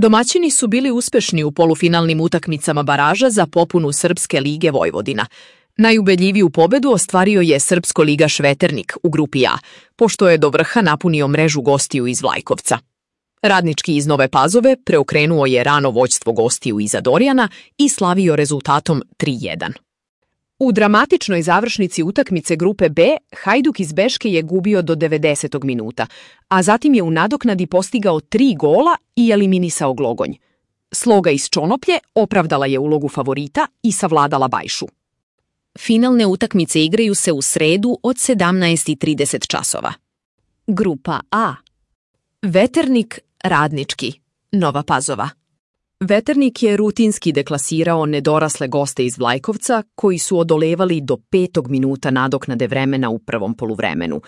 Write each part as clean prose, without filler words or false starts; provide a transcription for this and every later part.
Domaćini su bili uspešni u polufinalnim utakmicama baraža za popunu Srpske lige Vojvodina. Najubedljiviju pobedu ostvario je srpsko-ligaš Veternik u grupi A, pošto je do vrha napunio mrežu gostiju iz Vlajkovca. Radnički iz Nove Pazove preokrenuo je rano vođstvo gostiju iza Dorjana i slavio rezultatom 3:1. U dramatičnoj završnici utakmice grupe B, Hajduk iz Beške je gubio do 90. minuta, a zatim je u nadoknadi postigao 3 gola i eliminisao Glogonj. Sloga iz Čonoplje opravdala je ulogu favorita i savladala Bajšu. Finalne utakmice igraju se u sredu od 17:30 časova. Grupa A. Veternik, Radnički, Nova Pazova. Veternik je rutinski deklasirao nedorasle goste iz Vlajkovca koji su odolevali do 5. minuta nadoknade vremena u prvom poluvremenu.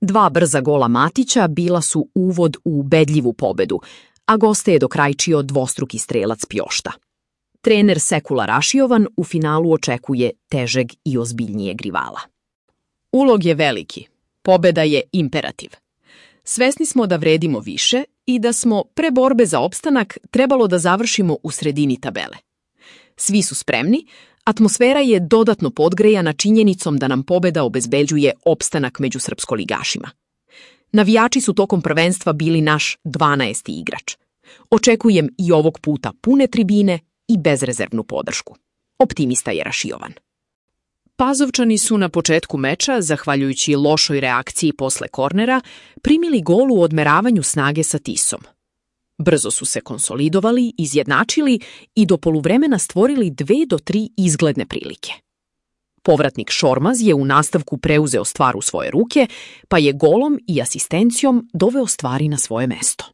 2 brza gola Matića bila su uvod u ubedljivu pobedu, a goste je dokrajčio dvostruki strelac Pjošta. Trener Sekula Rašijovan u finalu očekuje težeg i ozbiljnijeg rivala. Ulog je veliki, pobeda je imperativ. Svesni smo da vredimo više i da smo pre borbe za opstanak trebalo da završimo u sredini tabele. Svi su spremni, atmosfera je dodatno podgrejana činjenicom da nam pobeda obezbeđuje opstanak među srpskoligašima. Navijači su tokom prvenstva bili naš 12. igrač. Očekujem i ovog puta pune tribine i bezrezervnu podršku. Optimista je Rašijovan. Pazovčani su na početku meča, zahvaljujući lošoj reakciji posle kornera, primili gol u odmeravanju snage sa Tisom. Brzo su se konsolidovali, izjednačili i do poluvremena stvorili 2 do 3 izgledne prilike. Povratnik Šormaz je u nastavku preuzeo stvar u svoje ruke, pa je golom i asistencijom doveo stvari na svoje mesto.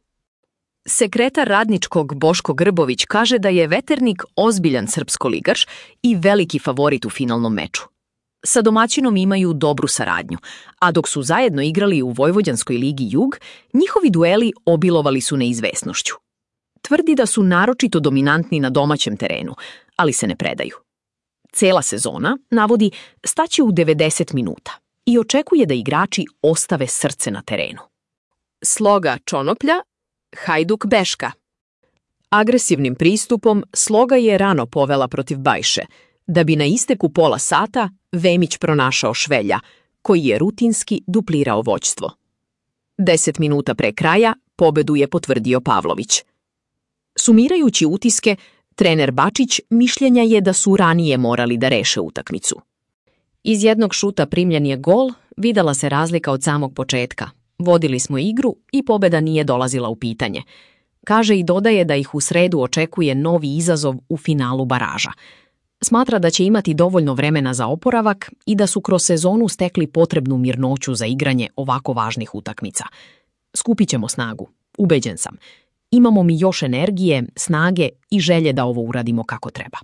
Sekretar Radničkog Boško Grbović kaže da je Veternik ozbiljan srpskoligaš i veliki favorit u finalnom meču. Sa domaćinom imaju dobru saradnju, a dok su zajedno igrali u Vojvođanskoj ligi Jug, njihovi dueli obilovali su neizvesnošću. Tvrdi da su naročito dominantni na domaćem terenu, ali se ne predaju. Cela sezona, navodi, staće u 90 minuta i očekuje da igrači ostave srce na terenu. Sloga Čonoplja, Hajduk Beška. Agresivnim pristupom Sloga je rano povela protiv Bajše, da bi na isteku pola sata Vemić pronašao Švelja, koji je rutinski duplirao vođstvo. 10 minuta pre kraja pobedu je potvrdio Pavlović. Sumirajući utiske, trener Bačić mišljenja je da su ranije morali da reše utakmicu. Iz jednog šuta primljen je gol, videla se razlika od samog početka. Vodili smo igru i pobeda nije dolazila u pitanje. Kaže i dodaje da ih u sredu očekuje novi izazov u finalu baraža. Smatra da će imati dovoljno vremena za oporavak i da su kroz sezonu stekli potrebnu mirnoću za igranje ovako važnih utakmica. Skupit ćemo snagu, ubeđen sam. Imamo mi još energije, snage i želje da ovo uradimo kako treba.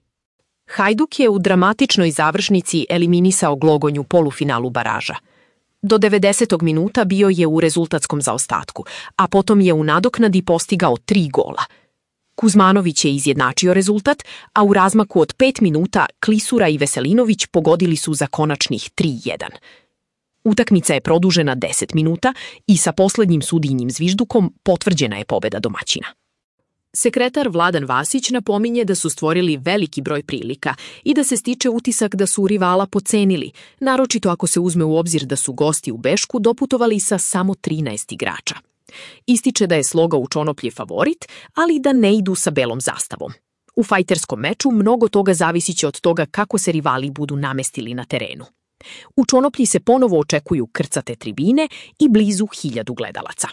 Hajduk je u dramatičnoj završnici eliminisao Glogonj u polufinalu baraža. Do 90. minuta bio je u rezultatskom zaostatku, a potom je u nadoknadi postigao 3 gola. Kuzmanović je izjednačio rezultat, a u razmaku od 5 minuta Klisura i Veselinović pogodili su za konačnih 3:1. Utakmica je produžena 10 minuta i sa poslednjim sudijnim zviždukom potvrđena je pobeda domaćina. Sekretar Vladan Vasić napominje da su stvorili veliki broj prilika i da se stiče utisak da su rivala pocenili, naročito ako se uzme u obzir da su gosti u Bešku doputovali sa samo 13 igrača. Ističe da je Sloga u Čonoplji favorit, ali da ne idu sa belom zastavom. U fajterskom meču mnogo toga zavisiće od toga kako se rivali budu namestili na terenu. U Čonoplji se ponovo očekuju krcate tribine i blizu 1000 gledalaca.